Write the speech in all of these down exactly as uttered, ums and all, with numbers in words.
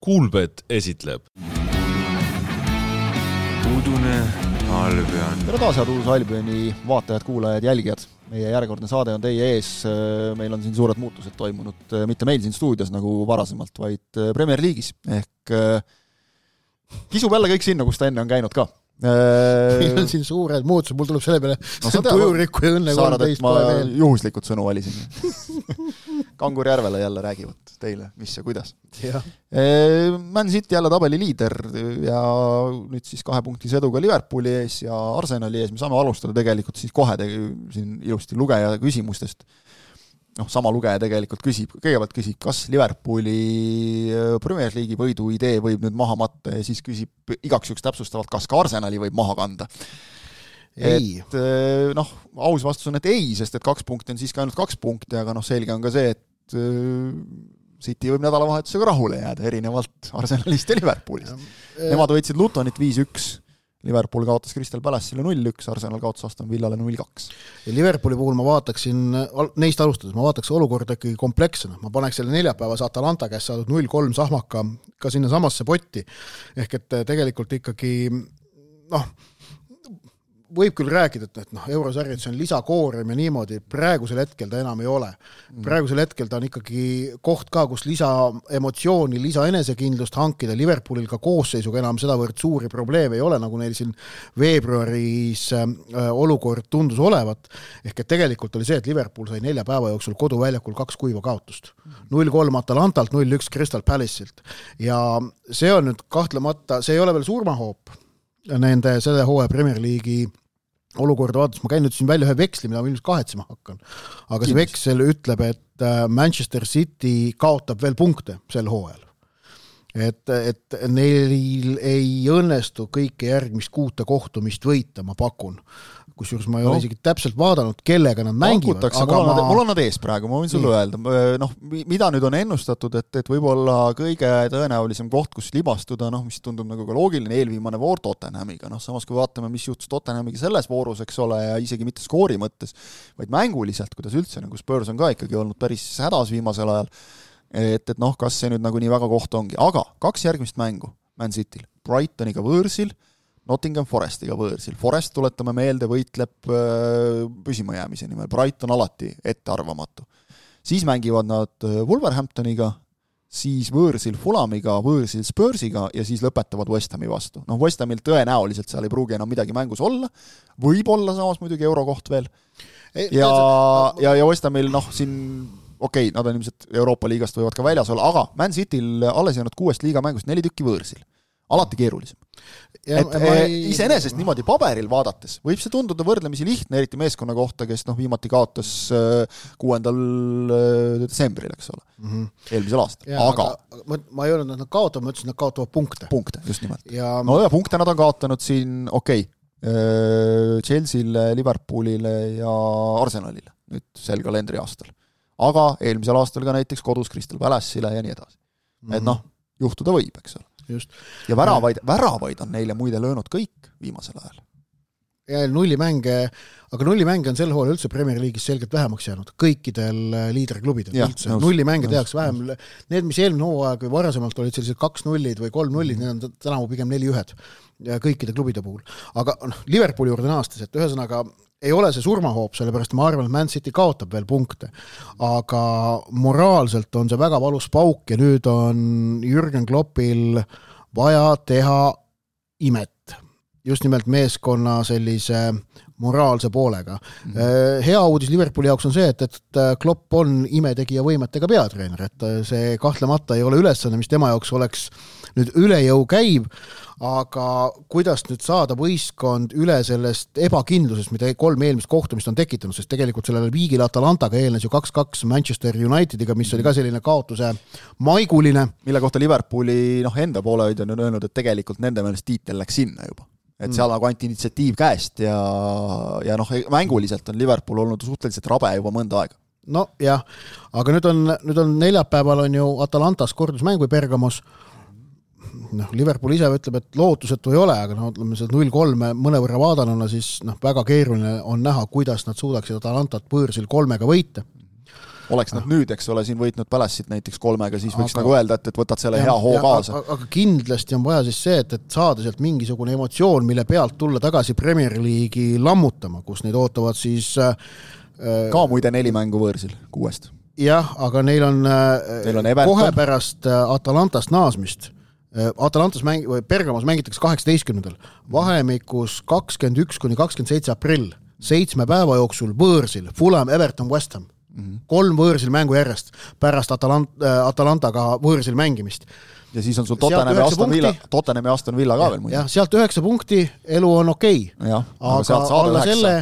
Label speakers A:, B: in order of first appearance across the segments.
A: Kuulbet esitleb
B: Udune Albion.
C: Tere taas, head uus Albioni vaatajad, kuulajad, jälgijad. Meie järjekordne saade on teie ees. Meil on siin suured muutused toimunud, mitte meil siin stuudios nagu varasemalt, vaid Premier League'is. Ehk kisub jälle kõik sinna, kus ta enne on käinud ka.
D: Meil on siin suured muutused, mul tuleb selle peale no, tujurikku ja õnne kolmteist
C: ma juhuslikult sõnu valisin. Kangur Järvele jälle räägivad teile, mis ja kuidas.
D: Ja.
C: Man City jälle tabeli liider ja nüüd siis kahe punkti sõduga Liverpooli ees ja Arsenali ees. Me saame alustada tegelikult siis kohe tegi, siin ilusti lugeja küsimustest. noh, sama lugeja tegelikult küsib, kõigepealt küsib, kas Liverpooli Premier League'i võidu idee võib nüüd maha matta ja siis küsib igaks juks täpsustavalt, kas ka Arsenali võib maha kanda.
D: Ei.
C: Et noh, aus vastus on, et ei, sest et kaks punkti on siiski ainult kaks punkti, aga noh, selge on ka see, et City võib nädalavahetusega rahule jääda, erinevalt Arsenalist ja Liverpoolist. Nemad võitsid Lutonit viis üks. Liverpool kaotas Crystal Palace'ile null üks, Arsenal kaotas Aston Villale null kaks.
D: Ja Liverpooli puhul ma vaataksin, neist alustades, ma vaataks olukorda ikkagi komplekssena. Ma paneks selle neljapäevas Atalanta käest saadud null kolm sahmaka ka sinna samasse potti. Ehk et tegelikult ikkagi, noh, võib küll rääkida, et noh, eurosarjad see on lisakoorem ja niimoodi, praegusel hetkel ta enam ei ole. Praegusel hetkel ta on ikkagi koht ka, kus lisa emotsiooni, lisa enesekindlust hankida. Liverpoolil ka koosseisuga enam sedavõrd suuri probleeme ei ole, nagu neil siin veebruaris olukord tundus olevat. Ehk et tegelikult oli see, et Liverpool sai nelja päeva jooksul koduväljakul kaks kuiva kaotust. null kolm Atalantalt, null üks Crystal Palace'ilt. Ja see on nüüd kahtlemata, see ei ole veel surmahoop nende selle hooaja Premier League'i olukorda vaadates. Ma käin nüüd siin välja ühe veksli, mida ma ilmselt kahetsema hakkan. Aga see veksel ütleb, et Manchester City kaotab veel punkte sel hooajal. Et, et neil ei õnnestu kõike järgmist kuute kohtumist võita, ma pakun. Kusjuures ma ei no. ole isegi täpselt vaadanud, kellega nad mängivad.
C: Aga mul, on, ma... mul on nad ees praegu, ma võin sulle öelda. Noh, mida nüüd on ennustatud, et, et võib-olla kõige tõenäolisem koht, kus libastuda, noh, mis tundub nagu ka loogiline, eelviimane voor Tottenhamiga. Noh, samas kui vaatame, mis juhtus Tottenhamiga selles voorus, eks ole, ja isegi mitte skoori mõttes, vaid mänguliselt, kuidas üldse, nagu Spurs on ka ikkagi olnud päris hädas viimasel ajal, et, et noh, kas see nüüd nagu nii väga koht ongi. Aga kaks järgmist mängu Man Cityl, Brightoniga võõrsil, Nottingham Forestiga võõrsil. Forest, tuletame meelde, võitleb püsima jäämise nimel. Brighton alati ettearvamatu. Siis mängivad nad Wolverhamptoniga, siis võõrsil Fulhamiga, võõrsil Spursiga ja siis lõpetavad West Hami vastu. Noh, West Hamil tõenäoliselt seal ei pruugi enam midagi mängus olla. Võib olla samas muidugi eurokoht veel. Ja, ja, ja West Hamil, noh, siin okei, okay, nad on ilmselt Euroopa liigast võivad ka väljas olla, aga Man Cityl alles jäänud kuuest liiga mängust neli tükki võõrsil. Alati keerulisem. Ja, et ei... iseenesest niimoodi paberil vaadates võib see tunduda võrdlemisi lihtne, eriti meeskonna kohta, kes noh, viimati kaotas kuuendal detsembril, eks ole, mm-hmm. eelmisel aastal. Ja, aga... aga
D: ma, ma ei öelnud, et nad kaotavad, ma ütlesin, et nad kaotavad punkte.
C: Punkte, just nimelt.
D: Ja...
C: No ja punkte nad on kaotanud siin, okei, okay, Chelsea'le, Liverpoolile ja Arsenalile nüüd sel kalendri aastal. Aga eelmisel aastal ka näiteks kodus Crystal Palace'ile ja nii edasi. Mm-hmm. Et noh, juhtuda võib, eks ole.
D: Just.
C: Ja väravaid, väravaid on neile muide löönud kõik viimasel ajal.
D: Ja nullimänge, aga nullimänge on sel hooajal üldse Premier League'is selgelt vähemaks jäänud. Kõikidel liiderklubidel
C: ja,
D: üldse. Nullimänge tehakse vähem. Need, mis eelmine hooaeg või varasemalt olid sellised kaks nullid või kolm nullid, need on tänavu pigem neli ühed kõikide klubide puhul. Aga no, Liverpooli juurde naastes, et ühesõnaga ei ole see surmahoop, sellepärast ma arvan, et Man City kaotab veel punkte. Aga moraalselt on see väga valus pauk ja nüüd on Jürgen Kloppil vaja teha imet. Just nimelt meeskonna sellise moraalse poolega. Mm-hmm. Hea uudis Liverpooli jaoks on see, et, et Klopp on imetegija võimetega peatreener, et see kahtlemata ei ole ülesanne, mis tema jaoks oleks nüüd üle jõu käib, aga kuidas nüüd saada võistkond üle sellest ebakindlusest, mida kolm eelmist kohtumist on tekitanud, sest tegelikult sellele viigile Atalantaga eelnes ju kaks kaks Manchester Unitediga, mis oli ka selline kaotuse maiguline.
C: Mille kohta Liverpooli noh, enda poole on öelnud, et tegelikult nende meelest tiitel läks sinna juba. Et seal nagu anti initsiatiiv käest ja, ja noh, mänguliselt on Liverpool olnud suhteliselt rabe juba mõnda aega.
D: No jah, aga nüüd on, nüüd on neljapäeval on ju Atalantas kordusmäng või Bergamos. noh, Liverpool ise ütleb, et lootusetu ei ole, aga no, ütleme, see null kolm mõnevõrra vaadanuna, siis noh, väga keeruline on näha, kuidas nad suudaksid Atalantat võõrsil kolmega võita.
C: oleks nad nüüd, eks ole, siin võitnud Palace'it näiteks kolmega, siis võiks
D: aga,
C: nagu öelda, et, et võtad selle ja, hea hoo kaasa.
D: Aga kindlasti on vaja siis see, et, et saada sealt mingisugune emotsioon, mille pealt tulla tagasi Premier League'i lammutama, kus neid ootavad siis äh,
C: ka muide neli mängu võõrsil kuuest.
D: Jah, aga neil on, neil on kohe pärast Atalantast naasmist. Atalantas mäng, või Bergamos mängitakse kaheksateistkümnendal vahemikus kakskümmend üks kuni kakskümmend seitse aprill, seitsme päeva jooksul võõrsil, Fulham, Everton, West Ham. Mm-hmm. Kolm võõrsil mängu järjest pärast Atalant, Atalantaga võõrsil mängimist.
C: Ja siis on sul Tottenham ja Aston Villa, Tottenham ja Aston Villa ka veel muidu.
D: Ja sealt üheksa punkti, elu on okei.
C: Ja,
D: aga aga alla üheksa. Selle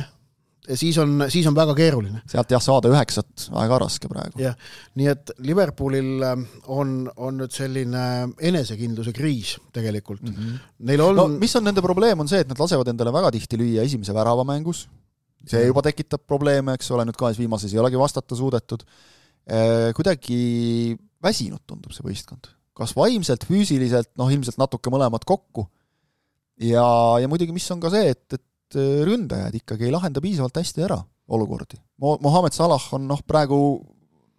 D: siis on, siis on väga keeruline.
C: Sealt jah saada üheksat väga raske praegu.
D: Ja, nii et Liverpoolil on, on nüüd selline enesekindluse kriis tegelikult. Mm-hmm. Neil on...
C: No mis on nende probleem on see, et nad lasevad endale väga tihti lüüa esimese värava mängus. See juba tekitab probleeme, eks ole, nüüd kahes viimases ei olegi vastata suudetud. Kuidagi väsinud tundub see võistkond. Kas vaimselt, füüsiliselt, noh ilmselt natuke mõlemad kokku. Ja, ja muidugi mis on ka see, et, et ründajad ikkagi ei lahenda piisavalt hästi ära olukordi. Mohamed Salah on noh praegu,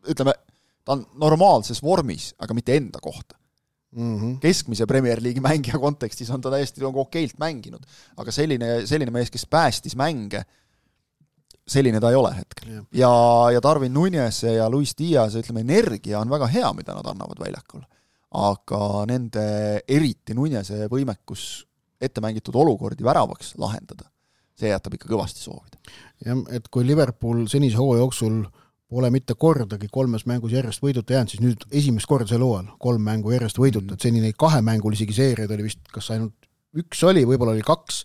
C: ütleme, ta on normaalses vormis, aga mitte enda kohta. Mm-hmm. Keskmise Premier League'i mängija kontekstis on ta täiesti on okeilt mänginud, aga selline, selline mees, kes päästis mänge, selline ta ei ole hetkel. Yeah. Ja, ja Darwin Núñez ja Luis Diaz, ütleme, energia on väga hea, mida nad annavad väljakul. Aga nende eriti Núñeze võimekus ette mängitud olukordi väravaks lahendada, see jätab ikka kõvasti soovida.
D: Ja, et kui Liverpool senise hoo jooksul pole mitte kordagi kolmes mängus järjest võiduta jäänud, siis nüüd esimest korda selle hooajal kolm mängu järjest võiduta, mm. et senine kahe mängul isegi seeriad oli vist, kas ainult üks oli, võib-olla oli kaks.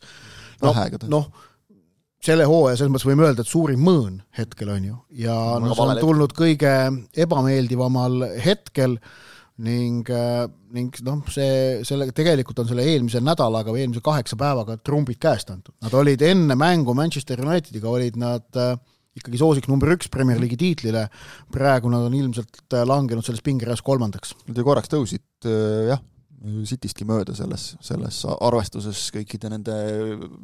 D: No, noh, selle hooaja selles mõttes võime öelda, et suurim mõõn hetkel on ju. Ja no, see on tulnud kõige ebameeldivamal hetkel ning, ning noh, see, selle, tegelikult on selle eelmise nädalaga või eelmise kaheksa päevaga trumbid käest antud. Nad olid enne mängu Manchester Unitediga, olid nad äh, ikkagi soosiks number üks Premier League'i tiitlile, praegu nad on ilmselt langenud selles pingereas kolmandaks.
C: Nad korraks tõusid, äh, jah, Citystki mööda selles, selles arvestuses kõikide nende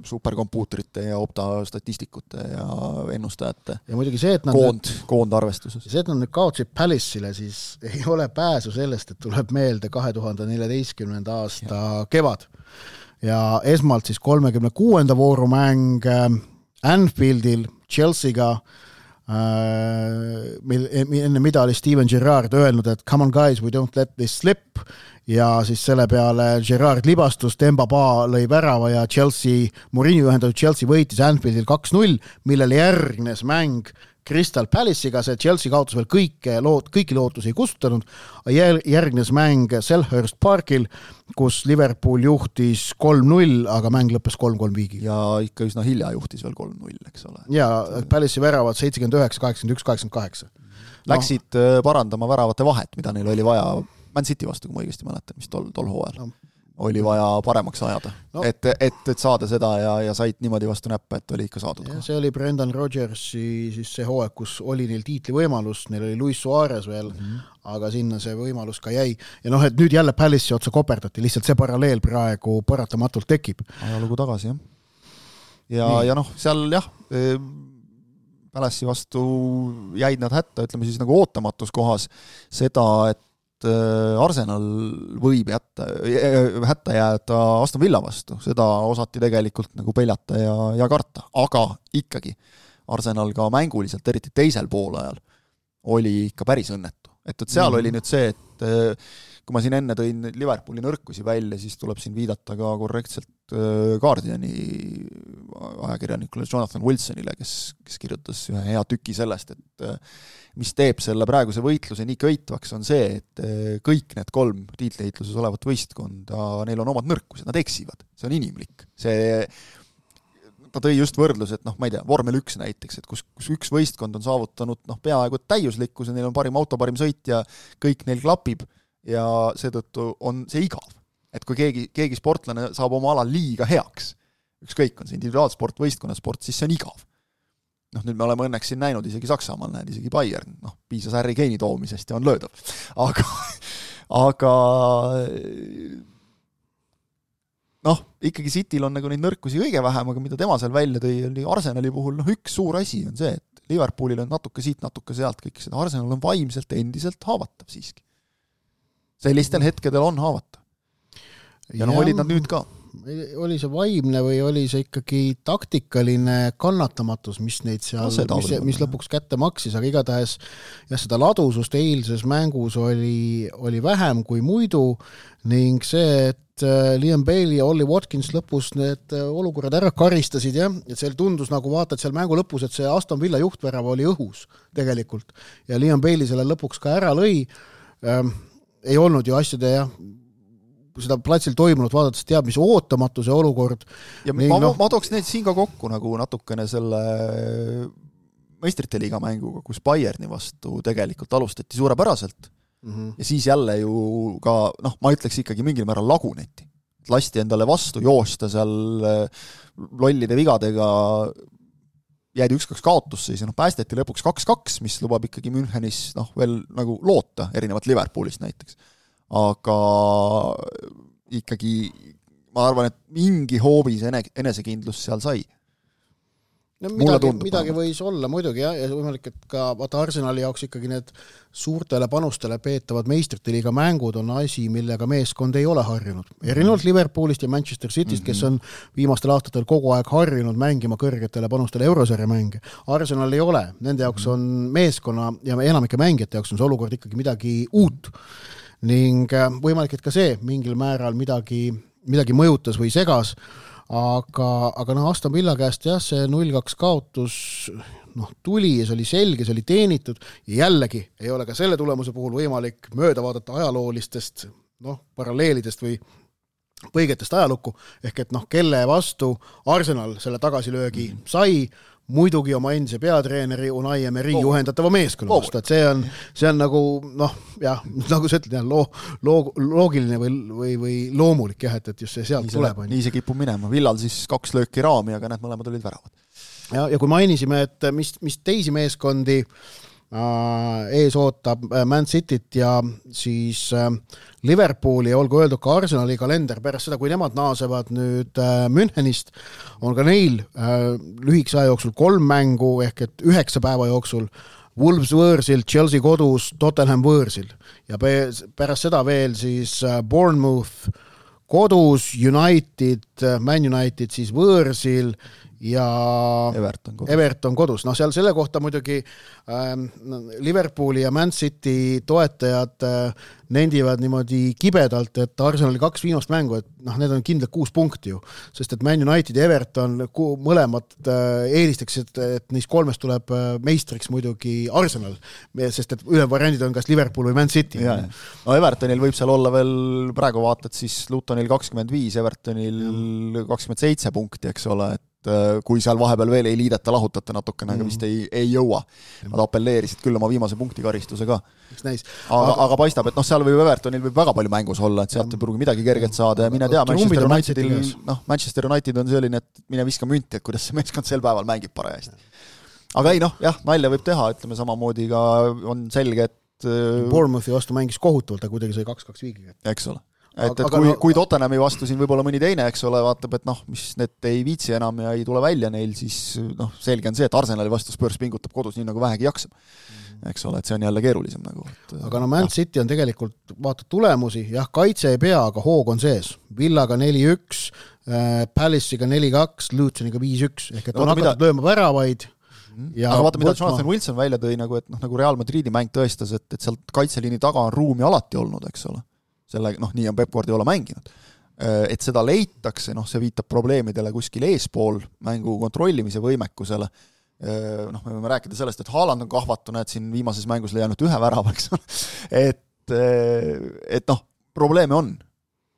C: superkompuutrite ja opta statistikute ja ennustajate
D: ja muidugi see, et nad
C: koond, koondarvestuses.
D: See, et nad nüüd kaotsid Palace'ile, siis ei ole pääsu sellest, et tuleb meelde kahe tuhande neljateistkümnenda aasta ja. Kevad. Ja esmalt siis kolmekümne kuuenda voorumäng Anfieldil Chelsea'ga, enne mida oli Steven Gerrard öelnud, et come on guys, we don't let this slip, ja siis selle peale Gerrard libastus, Demba Ba lõi värava ja Chelsea, Mourinho ühendatud Chelsea võitis Anfieldil kaks null, millele järgnes mäng Crystal Palace'iga, see Chelsea kaotus veel kõike, loot, kõiki lootusi ei kustutanud, järgnes mäng Selhurst Parkil, kus Liverpool juhtis kolm null, aga mäng lõppes kolm kolm viigi.
C: Ja ikka üsna hilja juhtis veel kolm null, eks ole.
D: Ja Palace'i väravad seitsekümmend üheksa, kaheksakümmend üks, kaheksakümmend kaheksa.
C: Läksid no. parandama väravate vahet, mida neil oli vaja Man City vastu, kui ma õigesti mäletan, mis tol, tol hooajal. No. Oli vaja paremaks ajada, no. et, et, et saada seda ja, ja said niimoodi vastu näppe, et oli ikka saadud.
D: Ja, see oli Brendan Rodgersi siis see hooaeg, kus oli neil tiitli võimalus, neil oli Luis Suarez veel, mm-hmm. aga sinna see võimalus ka jäi. Ja noh, et nüüd jälle Palace'i otsa koperdati, lihtsalt see paralleel praegu paratamatult tekib.
C: Ajalugu tagasi, jah. Ja, ja noh, seal jah, Palace'i vastu jäid nad hätta, ütleme siis nagu ootamatus kohas seda, et Arsenal võib jätta, hätta jääda Aston Villa vastu, seda osati tegelikult nagu peljata ja, ja karta, aga ikkagi Arsenal ka mänguliselt, eriti teisel poolajal, oli ikka päris õnnetu. Et, et seal mm. oli nüüd see, et kui ma siin enne tõin Liverpooli nõrkusi välja, siis tuleb siin viidata ka korrektselt Guardiani ajakirjanikule Jonathan Wilsonile, kes, kes kirjutas ühe hea tüki sellest, et mis teeb selle praeguse võitluse nii köitvaks, on see, et kõik need kolm tiitliheitluses olevat võistkonda, neil on omad nõrkused, nad eksivad, see on inimlik. See, ta tõi just võrdlus, et noh, ma ei tea, vormel üks näiteks, et kus, kus üks võistkond on saavutanud noh, peaaegu täiuslikkuse, neil on parim auto, parim sõit ja kõik neil klapib ja seetõttu on see igav. Et kui keegi, keegi sportlane saab oma ala liiga heaks, ükskõik on see individuaalsport, võistkonnasport, siis see on igav. Noh, nüüd me oleme õnneks siin näinud isegi Saksamaal, näed isegi Bayern, noh, piisas Harry Kane'i toomisest ja on löödav. Aga, aga noh, ikkagi Cityl on nagu neid nõrkusi kõige vähem, aga mida tema seal välja tõi, oli Arsenali puhul, noh, üks suur asi on see, et Liverpoolil on natuke siit, natuke sealt kõik seda, Arsenal on vaimselt endiselt haavatav siiski. Sellistel hetkedel on haavatav. Ja, ja noh, olid nad nüüd ka.
D: Oli see vaimne või oli see ikkagi taktikaline kannatamatus, mis neid seal, no, mis, mis lõpuks kätte maksis, aga igatahes ja seda ladusust eilses mängus oli, oli vähem kui muidu ning see, et Liam Bailey ja Ollie Watkins lõpus need olukorrad ära karistasid, jah, et seal tundus nagu vaatad seal mängu lõpus, et see Aston Villa juhtvärava oli õhus tegelikult ja Liam Bailey selle lõpuks ka ära lõi, ähm, ei olnud ju asjade, jah, seda platsil toimunud vaadates teab, mis ootamatu see olukord.
C: Ja Ning, ma, no, ma tooks need siin ka kokku nagu natukene selle meistrite liiga mänguga, kus Bayerni vastu tegelikult alustati suurepäraselt mm-hmm. ja siis jälle ju ka, noh, ma ütleks ikkagi mingil määral laguneti. Lasti endale vastu joosta seal lollide vigadega jäädi üks-kaks kaotusse, siis noh, päästeti lõpuks kaks-kaks, mis lubab ikkagi Münchenis noh, veel nagu loota, erinevalt Liverpoolist näiteks. Aga ikkagi ma arvan, et mingi hoovis enesekindlus seal sai.
D: No, midagi, tundub, midagi võis olla muidugi jah, ja võimalik, et ka vaata Arsenali jaoks ikkagi need suurtele panustele peetavad meistrite liiga mängud on asi, millega meeskond ei ole harjunud. Erinevalt Liverpoolist ja Manchester Cityst, mm-hmm. kes on viimastel aastatel kogu aeg harjunud mängima kõrgetele panustele eurosarja mänge. Arsenal ei ole, nende jaoks on meeskonna ja enamike mängijate jaoks on see olukord ikkagi midagi uut. Ning võimalik, et ka see mingil määral midagi, midagi mõjutas või segas, aga, aga noh, Aston Villa käest jah, see null kaks kaotus noh, tuli ja see oli selge, see oli teenitud ja jällegi ei ole ka selle tulemuse puhul võimalik mööda vaadata ajaloolistest noh, paralleelidest või põigetest ajalukku, ehk et noh, kelle vastu Arsenal selle tagasilöögi sai, muidugi oma endise peatreeneri Unai Emery juhendatava meeskonna vastu, et see on, see on nagu, noh, jah, nagu sa ütled, loo, loo, loogiline või, või, või loomulik, jah, et, et just see sealt nii tuleb.
C: Nii see kipub minema. Villal siis kaks lööki raami, aga need mõlemad olid väravad.
D: Ja, ja kui mainisime, et mis, mis teisi meeskondi äh, ees ootab Man Cityt ja siis äh, Liverpooli ja olgu öeldud ka Arsenali kalender pärast seda, kui nemad naasevad nüüd äh, Münchenist, on ka neil äh, lühikese aja jooksul kolm mängu ehk et üheksa päeva jooksul Wolves võõrsil, Chelsea kodus, Tottenham võõrsil ja pärast seda veel siis äh, Bournemouth kodus, United, Man United siis võõrsil ja
C: Everton kodus.
D: Everton kodus. No seal selle kohta muidugi ähm, Liverpooli ja Man City toetajad äh, nendivad niimoodi kibedalt, et Arsenali kaks viimast mängu, et noh, need on kindlalt kuus punkti ju, sest et Man United ja Everton ku, mõlemad äh, eelistaks, et, et neist kolmest tuleb äh, meistriks muidugi Arsenal, sest et üle variandid on kas Liverpool või Man City.
C: Ja, no Evertonil võib seal olla veel, praegu vaatad siis Lutonil kakskümmend viis, Evertonil kakskümmend seitse punkti, eks ole, et kui seal vahepeal veel ei liideta, lahutata natukene, aga vist ei, ei jõua. Nad appelleerisid küll oma viimase punkti karistuse ka.
D: Aga,
C: aga, aga paistab, et noh, seal võib Evertonil võib väga palju mängus olla, et sealt ei pruugi midagi kergelt saada ja mine tea, Manchester Unitedil, noh, Manchester United on selline, et mine viska münti, et kuidas see meeskond sel päeval mängib parajasti. Aga ei noh, jah, nalja võib teha, ütleme samamoodi ka on selge, et
D: Bournemouthi vastu mängis kohutavalt, aga kuidagi sai kaks-kaks viigiga.
C: Eks ole. Et, et kui, kui Tottenhami vastu siin võib-olla mõni teine, eks ole, vaatab, et noh, mis need ei viitsi enam ja ei tule välja neil, siis noh, selge on see, et Arsenali vastu Spurs pingutab kodus nii nagu vähegi jaksab. Eks ole, et see on jälle keerulisem nagu. Et,
D: aga no Man City on tegelikult, vaata tulemusi, jah, kaitse ei pea, aga hoog on sees. Villaga neli üks, äh, Palace'iga neli kaks, Lutoniga viis üks, ehk et on hakatud mida... lööma väravaid.
C: Ja aga vaata, mida võtma... Jonathan Wilson välja tõi, nagu, et noh, nagu Real Madridi mäng tõestas, et, et sealt kaitseliini taga on ruumi alati olnud, eks ole. Selle, noh, nii on Pep Guardiola mänginud. Et seda leitakse, noh, see viitab probleemidele kuskil eespool mängu kontrollimise võimekusele. Noh, me võime rääkida sellest, et Haaland on kahvatuna, et siin viimases mängus leianud ühe värava, eks ole. Et, et noh, probleeme on.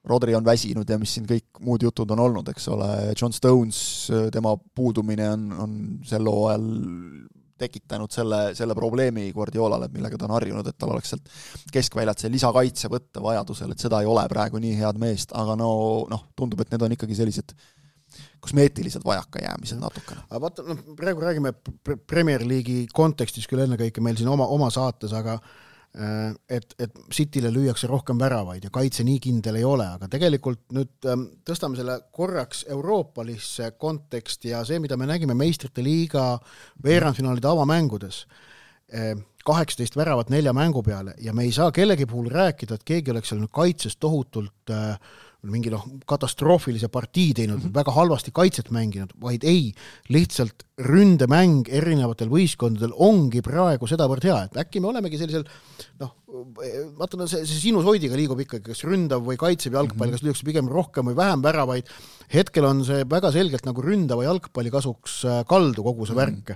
C: Rodri on väsinud ja mis siin kõik muud jutud on olnud, eks ole. John Stones, tema puudumine on, on sel hooajal tekitanud selle, selle probleemi Guardiolale, millega ta on harjunud, et tal oleks sealt keskväljalt see lisakaitse võtta vajadusel, et seda ei ole praegu nii head meest, aga no, noh, tundub, et need on ikkagi sellised kosmeetilised vajakajäämised natukene.
D: Aga vaata, no, praegu räägime Premier League'i kontekstis küll ennekõike meil siin oma, oma saates, aga et, et Cityle lüüakse rohkem väravaid ja kaitse nii kindel ei ole, aga tegelikult nüüd tõstame selle korraks euroopalisse konteksti ja see, mida me nägime meistrite liiga veerandfinaalide avamängudes, kaheksateist väravat nelja mängu peale ja me ei saa kellegi puhul rääkida, et keegi oleks seal kaitses tohutult mingi noh, katastroofilise partii teinud, mm-hmm. väga halvasti kaitset mänginud, vaid ei, lihtsalt ründemäng erinevatel võistkondadel ongi praegu sedavõrd hea, et äkki me olemegi sellisel noh, vaata, see, see sinusoidiga liigub ikkagi, kas ründav või kaitsev jalgpall, kas lüüakse pigem rohkem või vähem väravaid, hetkel on see väga selgelt nagu ründava jalgpalli kasuks kaldu kogu see värk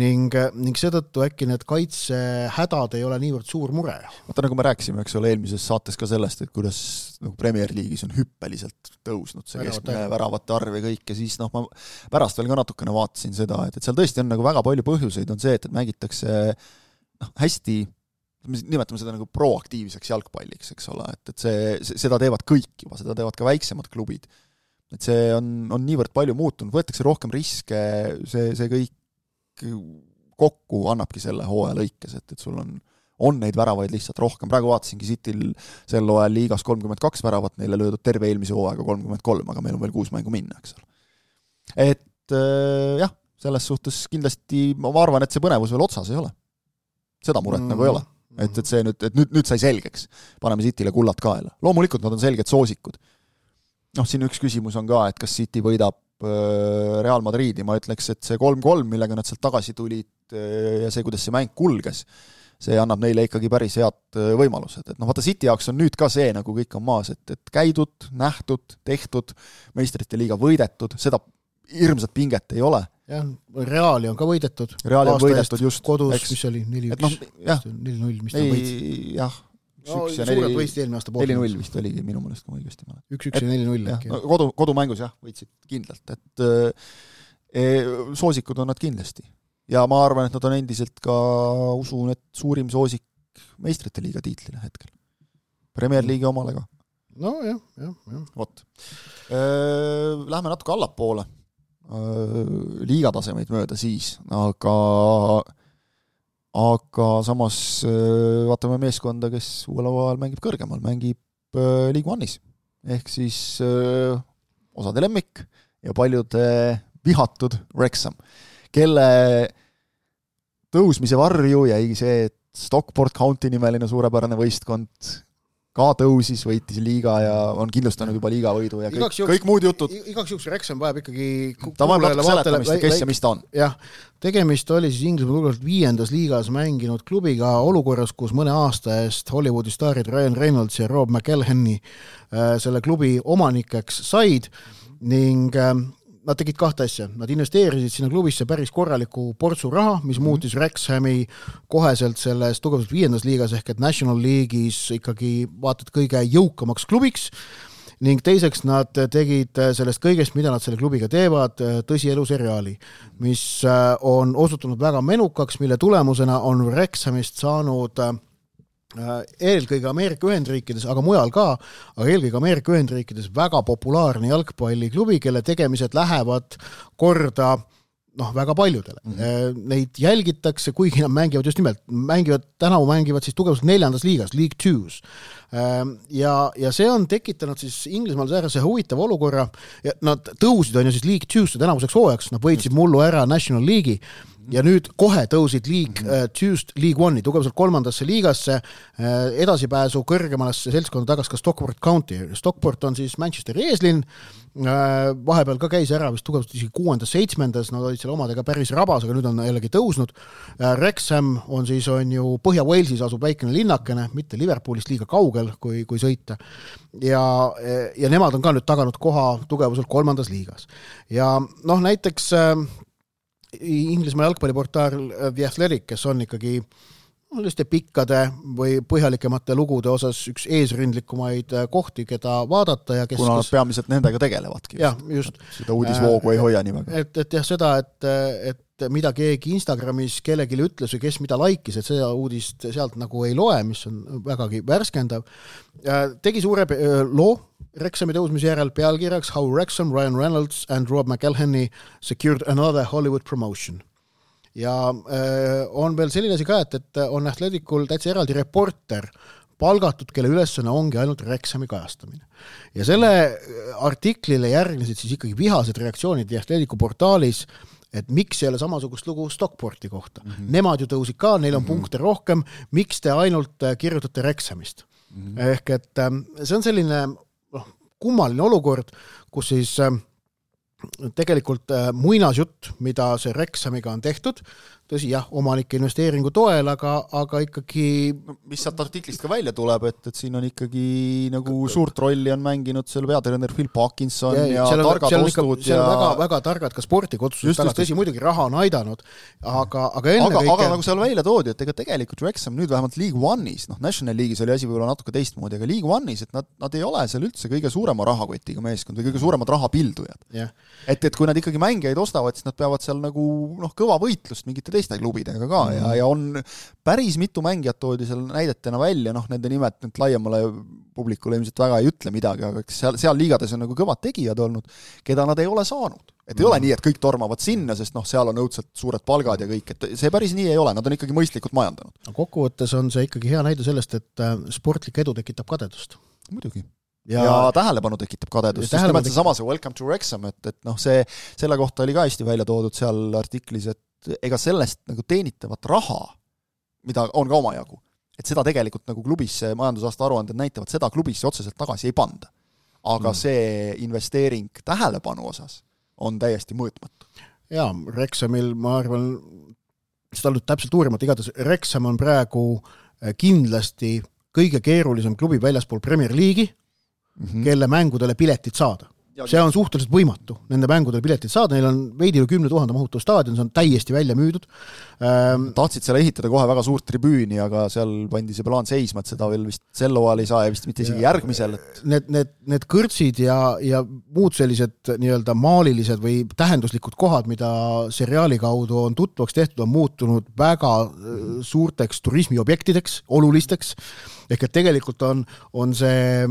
D: ning, ning seetõttu äkki need kaitsehädad ei ole niivõrd suur mure.
C: Vaata, nagu me rääkisime, eks ole, eelmises saates ka sellest, et kuidas nagu Premier League'is on hüppeliselt tõusnud see keskmine väravate arv ja kõik ja siis noh, ma pärast veel ka natukene vaatasin seda, et, et seal tõesti on nagu väga palju põhjuseid, on see, et, et mängitakse noh, hästi, nimetame seda nagu proaktiivseks jalgpalliks, eks ole, et, et see, seda teevad kõik juba, seda teevad ka väiksemad klubid. Et see on, on niivõrd palju muutunud, võetakse rohkem riske, see, see kõik kokku annabki selle hooaja lõikes, et, et sul on, on neid väravaid lihtsalt rohkem. Praegu vaatasingi Cityl sel hooajal liigas kolmkümmend kaks väravat, neile löödud terve eelmise hooaega kolmkümmend kolm, aga meil on veel kuus mängu minna, eks ole. Et äh, jah, selles suhtes kindlasti ma arvan, et see põnevus veel otsas ei ole. Seda muret mm. nagu ei ole. Et, et see nüüd, et nüüd, nüüd sai selgeks. Paneme Cityle kullad kaela. Loomulikult nad on selged soosikud. Noh, siin üks küsimus on ka, et kas City võidab Real Madridi, ma ütleks, et see kolm kolm, millega nad sealt tagasi tulid ja see, kuidas see mäng kulges, see annab neile ikkagi päris head võimalused. Et noh, vaata City jaoks on nüüd ka see, nagu kõik on maas, et, et käidud, nähtud, tehtud, meistrite liiga võidetud, seda hirmsat pinget ei ole.
D: Jah, Reali on ka võidetud.
C: Reali on võidetud just.
D: Kodus, eks, mis oli, neli üks, neli null, mis ta võitsid.
C: Jah,
D: no, suurelt võistid eelmine aasta
C: neli null vist oligi minu mõelest, kui ma õigesti mäletan.
D: üks üks ja neli null.
C: No, kodu, kodumängus jah, võitsid kindlalt, et e, soosikud on nad kindlasti. Ja ma arvan, et nad on endiselt ka, usun, et suurim soosik meistrite liiga tiitlile hetkel. Premier League'i omale ka.
D: No jah, jah, jah.
C: Vot. Lähme natuke allapoole liigatasemeid mööda siis, aga aga samas vaatame meeskonda, kes uuel ajal mängib kõrgemal, mängib League One'is. Ehk siis osade lemmik ja paljude vihatud Wrexham, kelle tõusmise varju jäi see, et Stockport County nimeline suurepärane võistkond ka tõusis, võitis liiga ja on kindlustanud juba liiga võidu ja kõik, juks, kõik muud jutud.
D: Igaks juks Wrexham vajab ikkagi
C: ta vajab natuke seletamist, kes ja mis ta on.
D: Jah, tegemist oli siis Inglismaa tulevalt viiendas liigas mänginud klubiga olukorras, kus mõne aasta eest Hollywoodi staarid Ryan Reynolds ja Rob McElhenney selle klubi omanikeks said ning nad tegid kahte asja. Nad investeerisid sinna klubisse päris korraliku portsu raha, mis mm-hmm. muutis Wrexhami koheselt selles tugevalt viiendas liigas ehk et National League'is ikkagi vaatad kõige jõukamaks klubiks ning teiseks nad tegid sellest kõigest, mida nad selle klubiga teevad, tõsielu seriaali, mis on osutunud väga menukaks, mille tulemusena on Wrexhamist saanud eelkõige Ameerika Ühendriikides, aga mujal ka, aga eelkõige Ameerika Ühendriikides väga populaarne jalgpalliklubi, kelle tegemised lähevad korda noh, väga paljudele. Mm-hmm. Neid jälgitakse, kuigi nad mängivad just nimelt, mängivad, tänavu mängivad siis tugevalt neljandas liigas, League Two's. Ja, ja see on tekitanud siis Inglismaal säärase huvitav olukorra, ja nad tõusid on ju siis League Two's tänavuseks hooajaks, nad võitsid mullu ära National League'i, ja nüüd kohe tõusid League mm-hmm. Two'st League One'i, tugevalt kolmandasse liigasse, edasipääsu kõrgemalasse seltskonda tagas ka Stockport County. Stockport on siis Manchesteri eeslinn, vahepeal ka käis ära vist tugevalt isegi kuuendas, seitsmendas, nad olid selle omadega päris rabas, aga nüüd on jällegi tõusnud. Wrexham on siis on ju Põhja-Walesis asub väikene linnakene, mitte Liverpoolist liiga kaugel, kui, kui sõita. Ja, ja nemad on ka nüüd taganud koha tugevuselt kolmandas liigas. Ja noh, näiteks Inglismaa jalgpalliportaal The Athletic, kes on ikkagi pikkade või põhjalikemate lugude osas üks eesrindlikumaid kohti, keda vaadata. Ja kes,
C: kuna nad
D: kes...
C: peamiselt nendega tegelevadki.
D: Jah, just.
C: Seda uudisvoogu ei hoia nii väga.
D: Et, et jah, seda, et, et mida keegi Instagramis kellelgi ütles või kes mida laikis, et seda uudist sealt nagu ei loe, mis on vägagi värskendav. Tegi suure loo Wrexhami tõusmise järel pealkirjaks How Wrexham, Ryan Reynolds and Rob McElhenney secured another Hollywood promotion. ja äh, on veel selline asi ka, et, et on Athleticul täitsa eraldi reporter palgatud, kelle ülesanne ongi ainult Wrexhami kajastamine. Ja selle artiklile järgnesid siis ikkagi vihased reaktsioonid Atleticu portaalis, et miks ei ole samasugust lugu Stockporti kohta. Mm-hmm. Nemad ju tõusid ka, neil on mm-hmm. punkte rohkem, miks te ainult kirjutate Wrexhamist? Mm-hmm. Ehk et see on selline noh, kummaline olukord, kus siis tegelikult muinasjutt, mida see Wrexhamiga on tehtud, tõsi jah, omanike investeeringu toel, aga, aga ikkagi
C: no, mis sealt artiklist ka välja tuleb, et, et siin on ikkagi nagu suurt rolli on mänginud seal peatreener Phil Parkinson ja, ja
D: on,
C: targad ostud
D: ja
C: ja
D: väga, väga targad ka sportiga otsused taga, tõsi muidugi raha on aidanud, aga, aga enne
C: aga,
D: kõike
C: aga nagu seal välja toodi, et ega tegelikult Wrexham nüüd vähemalt League One'is, noh National League'is oli asi võib-olla natuke teistmoodi, aga League One'is, et nad, nad ei ole seal üldse kõige suurema rahakotiga meeskond või kõige suuremad rahapildujad.
D: Yeah.
C: Et, et kui nad ikkagi mängijaid ostavad, siis nad peavad seal nagu noh, kõva võitlust mingite teiste klubidega ka mm. ja, ja on päris mitu mängijat toodi seal näidetena välja, noh nende nimed nüüd laiemale publikule ilmselt väga ei ütle midagi, aga seal, seal liigades on nagu kõvad tegijad olnud, keda nad ei ole saanud. Et ei mm. ole nii, et kõik tormavad sinna, sest noh, seal on õudselt suured palgad ja kõik, et see päris nii ei ole, nad on ikkagi mõistlikult majandanud.
D: No, kokkuvõttes on see ikkagi hea näide sellest, et sportlik edu tekitab kadedust.
C: Muidugi. Ja, ja tähelepanu tekitab kadedust, sest nimelt see sama see Welcome to Wrexham, et, et noh, see, selle kohta oli ka hästi välja toodud seal artiklis, et ega sellest nagu teenitavat raha, mida on ka omajagu, et seda tegelikult nagu klubisse majandusaasta aruanded näitavad, seda klubisse otseselt tagasi ei panda. Aga mm. see investeering tähelepanu osas on täiesti mõõtmatu. Jaa,
D: Wrexhamil, ma arvan, seda on nüüd täpselt uurimata, igatahes Wrexham on praegu kindlasti kõige keerulisem klubi väljaspool Premier League'i, mm-hmm. kelle mängudele piletid saada. See on suhteliselt võimatu, nende mängudele piletid saada, neil on veidi üle kümne tuhande mahutu staadion, see on täiesti välja müüdud.
C: Ähm, Tahtsid selle ehitada kohe väga suurt tribüüni, aga seal pandi see plaan seisma, et seda veel vist sel hooajal ei saa ja vist mitte isegi ja, järgmisel. Et...
D: Need, need, need kõrtsid ja, ja muud sellised nii-öelda maalilised või tähenduslikud kohad, mida seriaali kaudu on tutvaks tehtud, on muutunud väga suurteks turismiobjektideks, olulisteks. Ehk et tegelikult on, on see äh,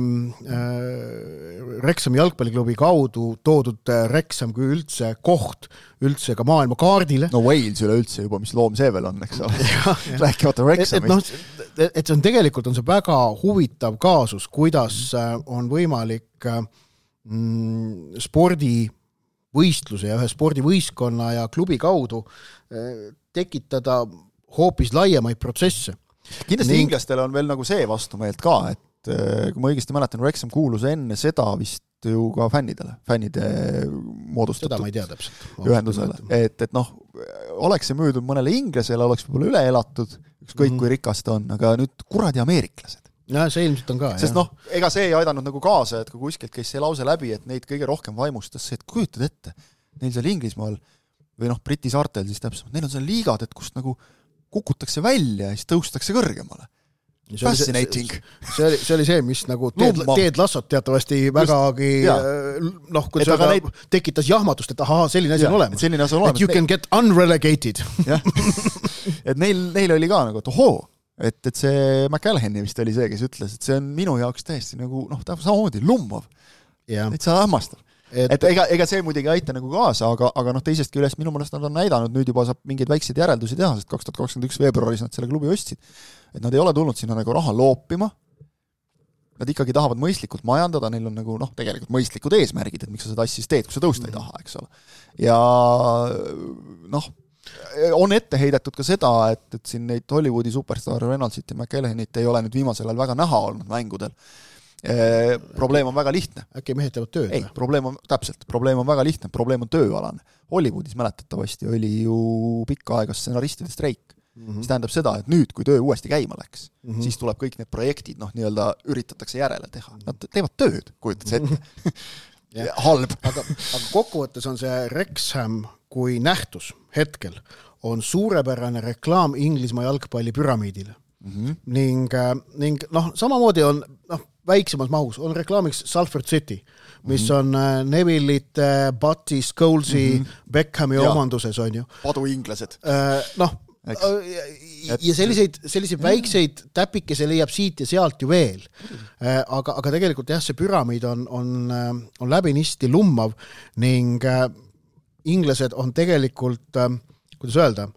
D: Wrexhami jalgpalliklubi kaudu toodud Wrexham kui üldse koht üldse ka maailma kaardile.
C: No Wales üle üldse juba, mis loom see veel on, eks ole. Rääkimata Wrexhamist.
D: Et, et, no, et see on tegelikult on see väga huvitav kaasus, kuidas on võimalik mm, spordivõistluse ja ühe spordivõistkonna ja klubi kaudu äh, tekitada hoopis laiemaid protsesse.
C: Kindlasti Ning... inglastel on veel nagu see vastumeelt ka, et kui ma õigesti mäletan, Wrexham kuulus enne seda vist ju ka fännidele, fännide moodustatud
D: seda ma ei tea täpselt.
C: ühendusele. Et, et noh, oleks see müüdud mõnele inglasele, oleks võib-olla üle elatud, ükskõik mm-hmm. kui rikas ta on, aga nüüd kuradi ameeriklased.
D: Ja, see ilmselt on ka.
C: Sest jah. noh, ega see ei aidanud nagu kaasa, et kui kuskilt käis see lause läbi, et neid kõige rohkem vaimustas see, et kujutad ette, neil seal Inglismaal või noh, Briti saartel siis täpselt, neil on seal liigad, et kust nagu kukutakse välja ja siis tõustakse kõrgemale. Fascinating.
D: See, see, oli, see oli see, mis nagu teed, teed lassot teatavasti vägagi noh, kui see neid... tekitas jahmatust, et ahaa, selline asi on olemas.
C: Selline asi on olemas.
D: Et you can get unrelegated.
C: et neil, neil oli ka nagu, et ohoo, et, et see McAllahani vist oli see, kes ütles, et see on minu jaoks täiesti nagu, noh, samamoodi lummav. Et see hämmastav. Et, et ega, ega see muidugi ei aita nagu kaasa, aga, aga noh, teisestki üles minu mõnest nad on näidanud, nüüd juba saab mingeid väikseid järeldusi teha, sest kaks tuhat kakskümmend üks veebruaris nad selle klubi ostsid, et nad ei ole tulnud sinna nagu raha loopima, nad ikkagi tahavad mõistlikult majandada, neil on nagu noh, tegelikult mõistlikud eesmärgid, et miks sa seda asja siis teed, kui sa tõusta ei taha, eks ole. Ja noh, on ette heidetud ka seda, et, et siin neid Hollywoodi superstar Reynolds ja McAllahanit ei ole nüüd viimasel ajal väga näha olnud mängudel. E, probleem on väga lihtne.
D: Äkki mehed teevad tööd?
C: Ei, probleem on, täpselt, probleem on väga lihtne, probleem on tööalane. Hollywoodis mäletatavasti oli ju pikka aega stsenaristide streik, mm-hmm. mis tähendab seda, et nüüd, kui töö uuesti käima läks, mm-hmm. siis tuleb kõik need projektid, noh, nii-öelda üritatakse järele teha. Nad teevad tööd, kujutad see ette. Halb.
D: Aga, aga kokkuvõttes on see Wrexham kui nähtus hetkel on suurepärane reklaam Inglismaa jalgpalli püramiidile. Mm-hmm. Ning, ning noh, samamoodi on noh, väiksemas mahus on reklaamiks Salford City, mis mm-hmm. on Neville'ite, Butty, Scholesi, mm-hmm. Beckhami ja. Omanduses on ju.
C: Padu inglased.
D: Noh, ja, ja selliseid, selliseid väikseid täpikese leiab siit ja sealt ju veel. Aga, aga tegelikult jah, see püramiid on, on, on läbinisti lummav ning inglased on tegelikult kuidas öelda,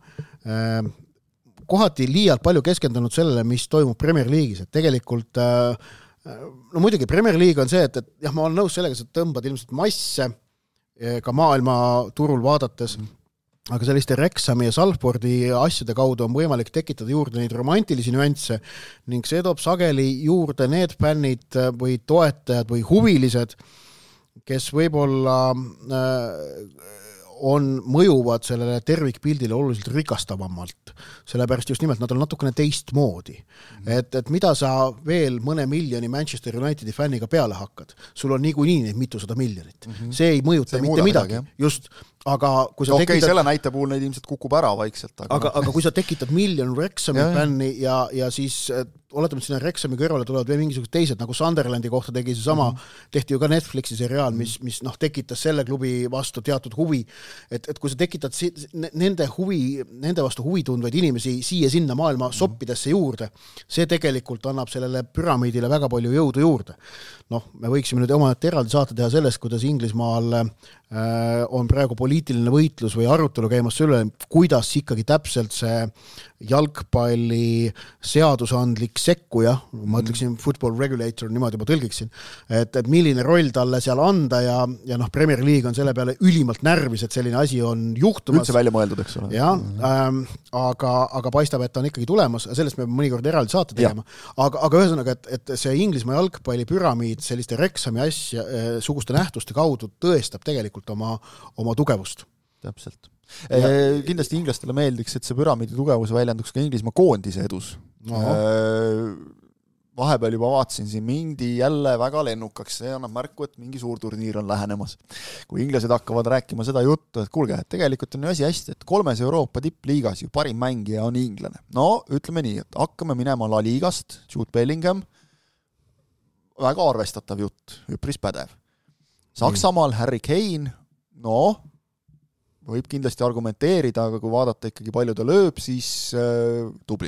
D: kohati liialt palju keskendunud sellele, mis toimub Premier League'is, et tegelikult no muidugi Premier League on see, et, et jah, ma olen nõus sellega, et tõmbad ilmselt masse ka maailma turul vaadates, mm. aga selliste Wrexhami ja Salfordi asjade kaudu on võimalik tekitada juurde neid romantilisi nüansse ning see toob sageli juurde need fännid või toetajad või huvilised, kes võib-olla on mõjuvad sellele tervikpildile oluliselt rikastavamalt, sellepärast just nimelt nad on natukene teistmoodi. Mm-hmm. Et, et mida sa veel mõne miljoni Manchester Unitedi fänniga peale hakkad? Sul on niikuinii neid mitusada miljonit. Mm-hmm. See ei mõjuta see mitte midagi. midagi. Just, aga kui sa
C: okay,
D: tekitad...
C: selle näite puhul neid ilmselt kukub ära vaikselt.
D: Aga, aga, aga kui sa tekitad miljon Wrexhami fänni ja, ja siis oletame, et sinna Wrexhami kõrvale tulevad veel mingisugused teised, nagu Sunderlandi kohta tegi see sama, mm-hmm. tehti ju ka Netflixi seriaal, mis, mis noh, tekitas selle klubi vastu teatud huvi, et, et kui sa tekitad si- nende, huvi, nende vastu huvi tundvaid inimesi siia sinna maailma mm-hmm. soppidesse juurde, see tegelikult annab sellele püramiidile väga palju jõudu juurde. Noh, me võiksime nüüd oma eraldi saate teha sellest, kuidas Inglismaal äh, on praegu poliitiline võitlus või arutelu käimas selle, kuidas ikkagi täpselt see jalgpalli seadusandlik sekkuja, ma ütleksin football regulator, niimoodi ma tõlgiksin, et, et milline roll talle seal anda ja, ja noh, Premier League on selle peale ülimalt närvis, et selline asi on juhtumas.
C: Üldse välja mõeldud, eks ole.
D: Ja, ähm, aga, aga paistab, et ta on ikkagi tulemas, sellest me mõnikord eraldi saate tegema. Aga, aga ühesõnaga, et, et see Inglismaa jalgpalli püramiid selliste Wrexhami asja, äh, suguste nähtuste kaudu tõestab tegelikult oma, oma tugevust.
C: Täpselt. Ja. Kindlasti inglastele meeldiks, et see püramiidi tugevus väljenduks ka Inglismaa koondise edus. Vahepeal juba vaatasin siin mindi jälle väga lennukaks, see annab märku, et mingi suur turniir on lähenemas. Kui inglased hakkavad rääkima seda juttu, et kuulge, et tegelikult on ju asi hästi, et kolmes Euroopa tippliigas ju parim mängija on inglane. No, ütleme nii, et hakkame minema La Ligast, Jude Bellingham, väga arvestatav jutt, üpris pädev. Saksamaal Harry Kane, no, võib kindlasti argumenteerida, aga kui vaadata ikkagi palju ta lööb, siis äh, tubli.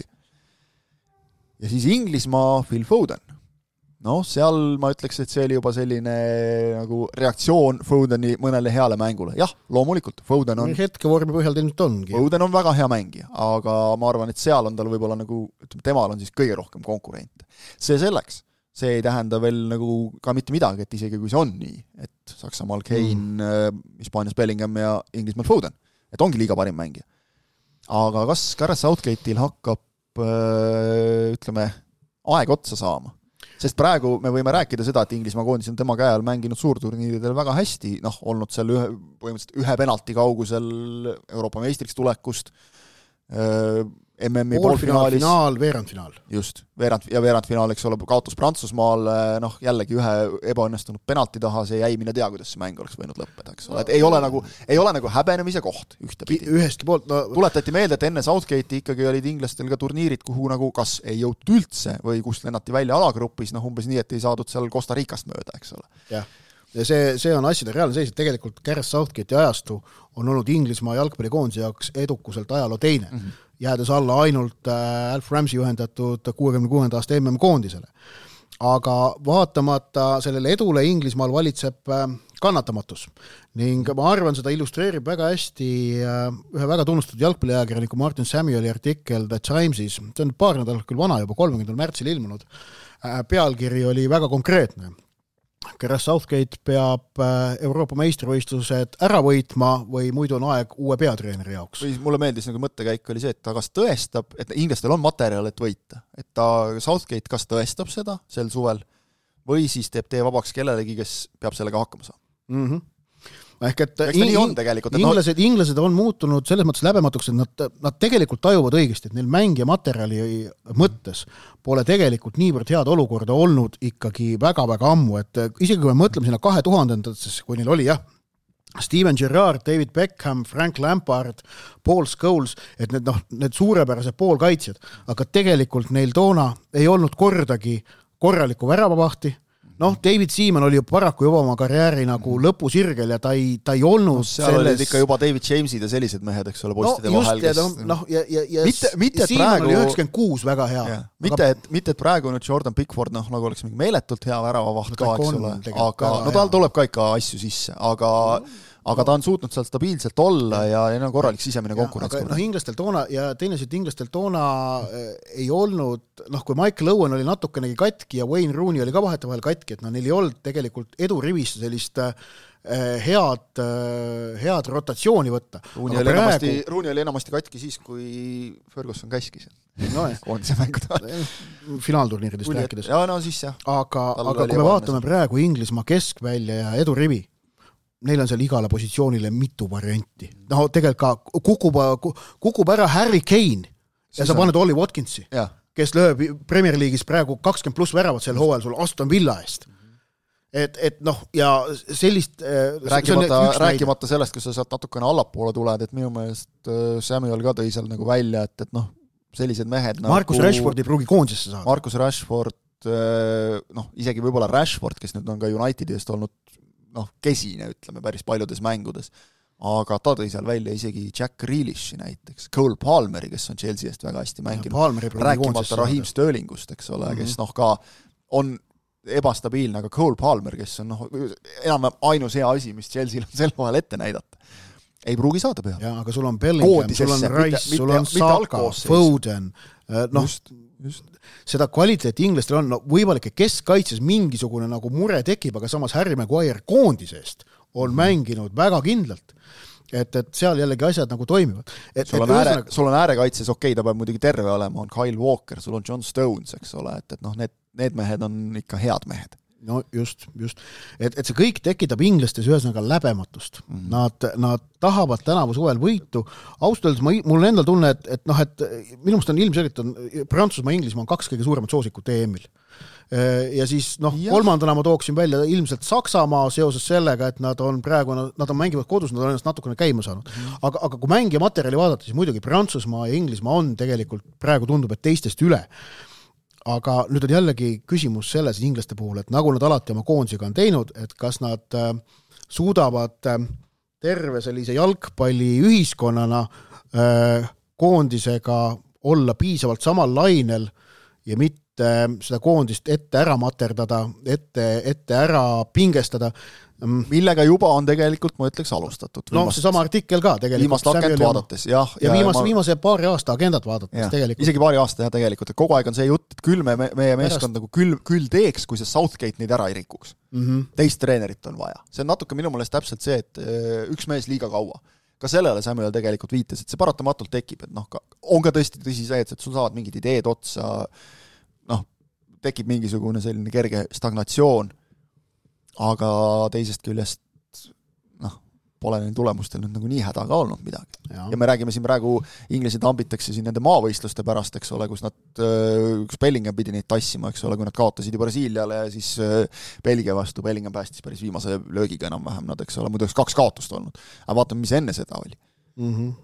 C: Ja siis Inglismaa Phil Foden. No, seal ma ütleks, et see oli juba selline nagu reaktsioon Fodeni mõnele heale mängule. Jah, loomulikult, Foden on...
D: Hetke vormi põhjal ilmselt ongi.
C: Foden on väga hea mängija, aga ma arvan, et seal on tal võib-olla nagu, ütleme, temal on siis kõige rohkem konkurente. See selleks. See ei tähenda veel nagu ka mitte midagi, et isegi kui see on nii, et Saksamaal Kane, mm. Hispaanias Bellingham ja Inglismaal Foden, et ongi liiga parim mängija. Aga kas Gareth Southgate'il hakkab, ütleme, aeg otsa saama? Sest praegu me võime rääkida seda, et Inglismaa koondis on tema käe all mänginud suurturniiridel väga hästi, noh, olnud seal ühe, põhimõtteliselt ühe penalti kaugusel Euroopa meistriks tulekust, M M-i poolfinaalis.
D: Finaal, veerandfinaal.
C: Just, veerand, ja veerandfinaal, eks ole, kaotus Prantsusmaal, noh, jällegi ühe ebaõnnestunud penalti taha, see jäi mine tea, kuidas see mäng oleks võinud lõppeda, eks ole. Et ei ole nagu, ei ole nagu häbenemise koht ühtepidi.
D: Ühestki poolt, no...
C: Tuletati meelde, et enne Southgate'i ikkagi olid inglastel ka turniirid, kuhu nagu kas ei jõutud üldse või kust lennati välja alagrupis, noh, umbes nii, et ei saadud seal Costa Ricast mööda, eks ole.
D: Jah. Ja see, see on asjade reaalne seis, et tegelikult Gareth Southgate'i ajastu on olnud Inglismaa jalgpallikoondise jaoks edukuselt ajaloo teine, mm-hmm. jäädes alla ainult äh, Alf Ramsey juhendatud kuuekümne kuuenda aasta M M-koondisele. Aga vaatamata sellele edule Inglismaal valitseb äh, kannatamatus ning ma arvan, seda illustreerib väga hästi äh, ühe väga tunnustatud jalgpalliajakirjaniku Martin Samueli artikkel The Timesis, see on paar nädalat küll vana juba, kolmekümnendal märtsil ilmunud, äh, pealkiri oli väga konkreetne. Gareth Southgate peab Euroopa meistrivõistlused ära võitma või muidu on aeg uue peatreeneri jaoks.
C: Või mulle meeldis nagu mõttekäik oli see, et ta kas tõestab, et inglastel on materjal, et võita. Et ta, Southgate kas tõestab seda sel suvel või siis teeb tee vabaks kellelegi, kes peab sellega hakkama saama.
D: Mhm. Ehk et
C: in, on tegelikult, et
D: inglased, no... inglased on muutunud selles mõttes läbematuks, et nad, nad tegelikult tajuvad õigesti, et neil mängija materjali mõttes pole tegelikult niivõrd head olukorda olnud ikkagi väga-väga ammu, et isegi kui me mõtleme sinna kahe tuhandendatesse, kui neil oli jah, Steven Gerrard, David Beckham, Frank Lampard, Paul Scholes, et need, noh, need suurepärased poolkaitsjad, aga tegelikult neil toona ei olnud kordagi korralikku väravavahti. Noh, David Seaman oli ju paraku juba oma karjääri nagu lõpusirgel ja ta ei, ta ei olnud no,
C: seal selles... olid ikka juba David Jamesid ja sellised mehed, eks ole, postide
D: no,
C: vahel.
D: Kes... Ja, no, ja, ja, ja
C: mitte, mitte
D: Seaman
C: praegu...
D: oli üheksakümmend kuus väga hea.
C: Mitte, aga... et, mitte, et praegu nüüd Jordan Pickford, noh, nagu oleks mingi meeletult hea väravavaht no, ka, eks ole, aga no tal tuleb ka ikka asju sisse, aga, aga ta on suutnud seal stabiilselt olla ja, ja no korralik sisemine konkurents.
D: Noh, inglastel toona ja teinesid inglastel toona äh, ei olnud, noh, kui Michael Owen oli natukenegi katki ja Wayne Rooney oli ka vahetevahel katki, et no neil ei olnud tegelikult edurivist sellist äh, head, äh, head rotatsiooni võtta.
C: Rooney oli, praegu... enamasti, Rooney oli enamasti katki siis, kui Ferguson käskis. No, koondise mänguda.
D: Finaalturniiridest rääkides.
C: Ja no siis jah.
D: Aga, aga kui me vaatame praegu Inglismaa keskvälja ja edurivi, neil on seal igale positsioonile mitu varianti. No tegelikult ka kukub, kukub ära Harry Kane ja sa paned Ollie Watkinsi, ja. Kes lööb Premier League'is praegu kakskümmend pluss väravat sel hooajal sul Aston Villa eest. Et, et noh, ja sellist...
C: Rääkimata, rääkimata sellest, kui sa saad natukene allapoole tuled, et minu meelest Samuel ka tõi seal nagu välja, et, et noh, sellised mehed
D: Marcus
C: nagu...
D: Rashford ei pruugi koondisesse saada.
C: Marcus Rashford, noh, isegi võib-olla Rashford, kes nüüd on ka Unitedi eest olnud noh, kesine, ütleme, päris paljudes mängudes. Aga ta tõi seal välja isegi Jack Grealishi näiteks, Cole Palmeri, kes on Chelsea eest väga hästi mänginud. Rääkimata Raheem Sterlingust, eks ole, mm-hmm. kes noh ka on ebastabiilne, aga Cole Palmer, kes on noh, enam ainus hea asi, mis Chelsea on sel vahel ette näidata. Ei pruugi saada peale.
D: Ja, aga sul on Bellingham, sul on Rice, mitte, sul on Saka, Foden, noh, just, just. Seda kvaliteeti inglastel on, no võimalik, et keskkaitses mingisugune nagu mure tekib, aga samas Harry Maguire koondisest on mm. mänginud väga kindlalt. Et, et seal jällegi asjad nagu toimivad. Et,
C: sul, on ääre, üsna... sul on äärekaitses, okei, ta peab muidugi terve olema, on Kyle Walker, sul on John Stones, eks ole, et, et noh, need, need mehed on ikka head mehed.
D: No just, just. Et, et see kõik tekitab inglastes ühesõnaga läbematust. Mm-hmm. Nad, nad tahavad tänavu suvel võitu. Austaldes ma, mul on endal tunne, et, et, noh, et minu meelest on ilmselgelt on Prantsusmaa ja Inglismaa on kaks kõige suuremat soosikut E M-il. Ja siis noh, ja. kolmandana ma tooksin välja ilmselt Saksamaa seoses sellega, et nad on praegu, nad on mängivad kodus, nad on ennast natukene käima saanud. Mm-hmm. Aga, aga kui mängija materjali vaadata, siis muidugi Prantsusmaa ja Inglismaa on tegelikult praegu tundub, et teistest üle. Aga nüüd on jällegi küsimus selles inglaste puhul, et nagu nad alati oma koondisiga on teinud, et kas nad äh, suudavad äh, terve sellise jalgpalli ühiskonnana äh, koondisega olla piisavalt samal lainel ja mitte seda koondist ette ära materdada, ette, ette ära pingestada.
C: Millega juba on tegelikult, ma ütleks, alustatud.
D: No see sama artikkel ka tegelikult.
C: Viimast agent vaadates, jah.
D: Ja, ja viimase, ma... viimase paari aasta agendat vaadates
C: ja,
D: tegelikult.
C: Isegi paari aasta, jah, tegelikult. Et kogu aeg on see jutt, et küll me, meie meeskond nagu küll, küll teeks, kui see Southgate neid ära ei rikuks. Mm-hmm. Teist treenerit on vaja. See on natuke minu meelest täpselt see, et üks mees liiga kaua. Ka sellele Samuel tegelikult viitas, et see paratamatult tekib, et noh, on ka tõesti tõsi see, et sul saavad mingid ideed otsa, noh, tekib mingisugune selline kerge stagnatsioon, aga teisest küljest noh, pole neil tulemustel nüüd nagu nii häda ka olnud midagi. Ja. ja me räägime siin praegu, inglased ambitakse siin nende maavõistluste pärast, eks ole, kus nad, kus Bellingham pidi neid tassima, eks ole, kui nad kaotasid ju Brasiiliale ja siis Belgia vastu, Bellingham päästis päris viimase löögiga enam-vähem nad, eks ole, muidu kaks kaotust olnud. Aga vaatame, mis enne seda oli. Mm-hmm.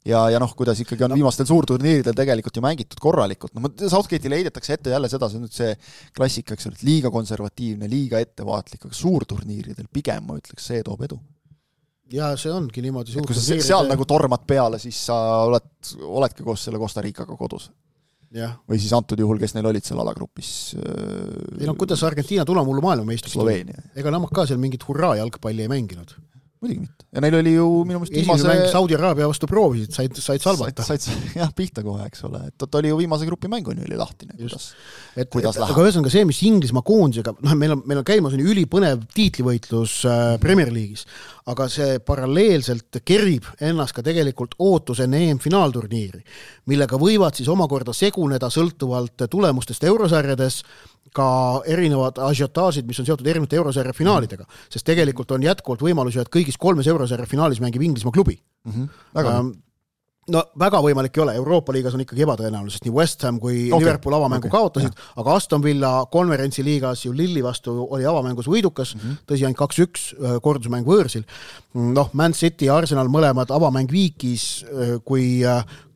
C: Ja, ja noh, kuidas ikkagi on no. viimastel suurturniiridel tegelikult ju mängitud korralikult. No, Southgate'ile heidetakse ette jälle seda, see on nüüd see klassika, eks ole, liiga konservatiivne, liiga ettevaatlik, aga suurturniiridel pigem, ma ütleks, see toob edu. Ja
D: see ongi niimoodi
C: suurturniiridel. Kui sa seal nagu tormad peale, siis sa oled, oledki koos selle Costa Ricaga kodus. Ja. Või siis antud juhul, kes neil olid seal alagrupis.
D: Ei no, kuidas Argentiina tulemullu maailmameistriks
C: Sloveenia.
D: Ega nemad ka seal mingit hurraa jalgpalli ei mänginud.
C: Muidugi mitte. Ja neil oli ju minu meelest
D: viimase... Esimene mäng Saudi Araabia vastu proovisid, said, said salvata.
C: Said, said, jah, pihta kohe, eks ole. Et ta oli ju viimase grupi mänguni oli lahtine, kuidas,
D: et,
C: kuidas
D: et,
C: läheb.
D: Aga ühesõnaga see, mis Inglismaa koondisega, noh, meil on, meil on käimas on ülipõnev tiitlivõitlus äh, Premier League'is, aga see paralleelselt kerib ennast ka tegelikult ootusenne E M-finaalturniiri, millega võivad siis omakorda seguneda sõltuvalt tulemustest eurosarjades ka erinevad ažiotaasid, mis on seotud erinevate eurosarja finaalidega, sest tegelikult on jätkuvalt võimalusi, et kõigis kolmes eurosarja finaalis mängib Inglismaa klubi. Mm-hmm. Väga ähm, no väga võimalik ei ole, Euroopa liigas on ikkagi ebatõenäoline, sest nii West Ham kui okay. Liverpool avamängu okay. kaotasid, ja. Aga Aston Villa konverentsi liigas ju Lilli vastu oli avamängus võidukas, mm-hmm. tõsi ainult kaks üks kordusmäng võõrsil. Noh, Man City ja Arsenal mõlemad avamäng viikis, kui,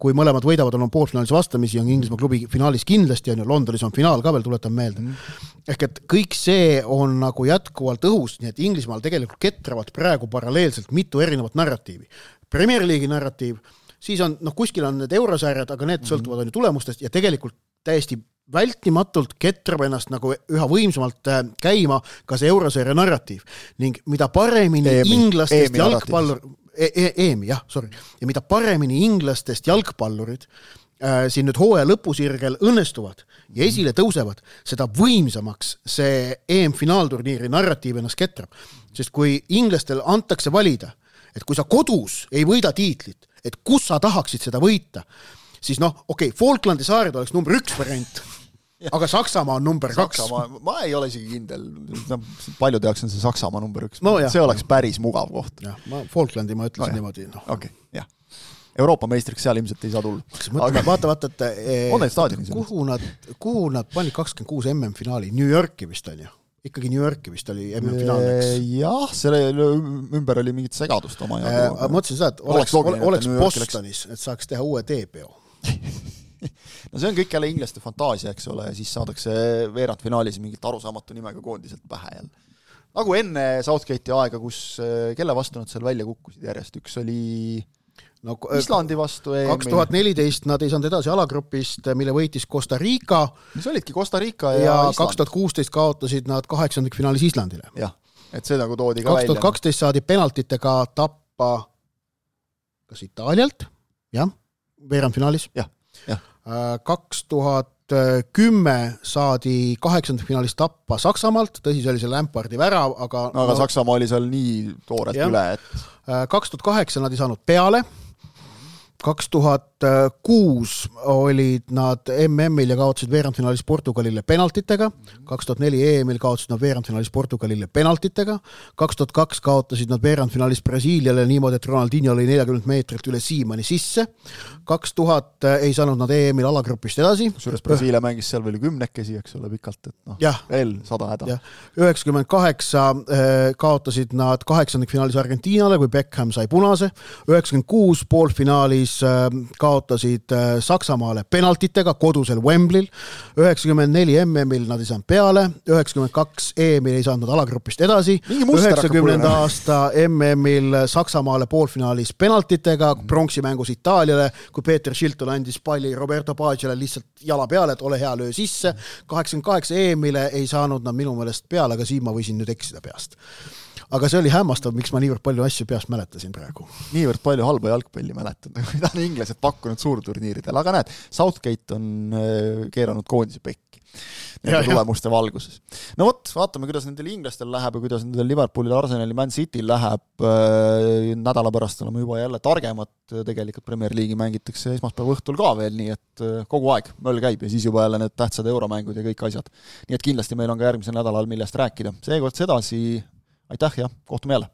D: kui mõlemad võidavad on poolfinaalis vastamisi, on Inglismaa klubi finaalis kindlasti, on ju Londonis on finaal ka veel, tuletan meelde. Mm-hmm. Ehk et kõik see on nagu jätkuvalt õhus, nii et Inglismaal tegelikult ketravad praegu paralleelselt mitu erinevat narratiivi. Premier League'i narratiiv, siis on, noh, kuskil on need eurosarjad, aga need sõltuvad on ju tulemustest ja tegelikult täiesti vältimatult ketrab ennast nagu üha võimsamalt käima ka see euroseeria narratiiv ning mida paremini
C: E M I,
D: inglastest
C: E M I
D: jalgpallur E M I, jah, sorry. Ja mida paremini inglastest jalgpallurid äh, siin nüüd hooaja lõpusirgel õnnestuvad ja esile tõusevad, seda võimsamaks see E M-finaalturniiri narratiiv ennast ketrab. Sest kui inglastel antakse valida, et kui sa kodus ei võida tiitlit, et kus sa tahaksid seda võita, siis noh, okei, okay, Falklandi saared oleks number üks variant, aga Saksamaa on number Saksamaa,
C: kaks. Ma ei ole isegi kindel. No, palju tehakse see Saksamaa number üks.
D: No, jah,
C: see oleks päris mugav koht.
D: Jah, ma Falklandi ma ütlesin no, niimoodi. No.
C: Okei, okay, jah. Euroopa meistriks seal ilmselt ei saa tulla.
D: Aga... Vaata, vaata, et
C: e,
D: kuhu, nad, kuhu nad panid kakskümmend kuus M M-finaali? New Yorki vist on ju. Ikkagi New Yorki vist oli M M-finaaleks.
C: Jah, selle ümber oli mingit segadust oma
D: ja ma mõtlesin seda, et oleks, oleks, oleks Bostonis, et saaks teha uue teepeo.
C: No see on kõik jälle inglaste fantaasia, eks ole, ja siis saadakse veerandfinaalis mingit arusaamatu nimega koondiselt pähe jälle. Nagu enne Southgate'i aega, kus kelle vastu nad seal välja kukkusid järjest, üks oli no, Islandi vastu.
D: kaks tuhat neliteist nad ei saanud edasi alagrupist, mille võitis Costa Rica.
C: Mis olidki Costa Rica ja,
D: ja
C: Island.
D: kaks tuhat kuusteist kaotasid nad kaheksandikfinaalis Islandile.
C: Jah, et see nagu toodi ka
D: kaks tuhat kaksteist välja. Saadi penaltitega tappa kas Itaalialt, jah, veerandfinaalis.
C: Jah, jah.
D: kaks tuhat kümme saadi kaheksandikfinaalis tappa Saksamaalt, tõsi, see oli see Lampardi värav, aga...
C: No, aga no, Saksamaa oli seal nii toorelt jah. Üle, et...
D: kaks tuhat kaheksa nad ei saanud peale, kaks tuhat kuus olid nad M M-il ja kaotasid veerandfinaalis Portugalile penaltitega, kaks tuhat neli E M-il kaotasid nad veerandfinaalis Portugalile penaltitega, kaks tuhat kaks kaotasid nad veerandfinaalis Brasiiliale niimoodi, et Ronaldinho oli nelikümmend meetrit üle Siimani sisse, kaks tuhat ei saanud nad E M-il alagrupist edasi.
C: Kusjuures Brasiilia mängis seal veel kümnekesi, eks ole, pikalt, et noh, veel sada häda.
D: üheksakümmend kaheksa kaotasid nad kaheksandikfinaalis Argentiinale, kui Beckham sai punase, üheksakümmend kuus poolfinaalis kaotasid Saksamaale penaltitega kodusel Wembley'l, üheksakümmend neli M M-il nad ei saanud peale, üheksakümmend kaks E M-il ei saanud nad alagrupist edasi, üheksakümnenda aasta M M-il Saksamaale poolfinaalis penaltitega, pronksimängus Itaaliale, kui Peeter Shilton andis palli Roberto Baggiale lihtsalt jala peale, et ole hea löö sisse, kaheksakümmend kaheksa E M-ile ei saanud nad minu meelest peale, aga siin ma võisin nüüd eksida peast. Aga see oli hämmastav, miks ma niivõrd palju asju peast mäletasin praegu.
C: Niivõrd palju halba jalgpalli mäletan, mida on inglased pakkunud suurturniiridel, aga näed, Southgate on keeranud koondise pekki nende tulemuste valguses. No vot, vaatame, kuidas nendel inglastel läheb ja kuidas nendel Liverpoolil, Arsenali, Man Cityl läheb. Nädala pärast oleme juba jälle targemad, tegelikult Premier League'i mängitakse esmaspäeva õhtul ka veel, nii et kogu aeg möll käib ja siis juba jälle need tähtsad euromängud ja kõik asjad. Nii et kindlasti meil on ka järgmisel nädalal millest rääkida. Seekord sedasi, aitäh ja kohtume jälle!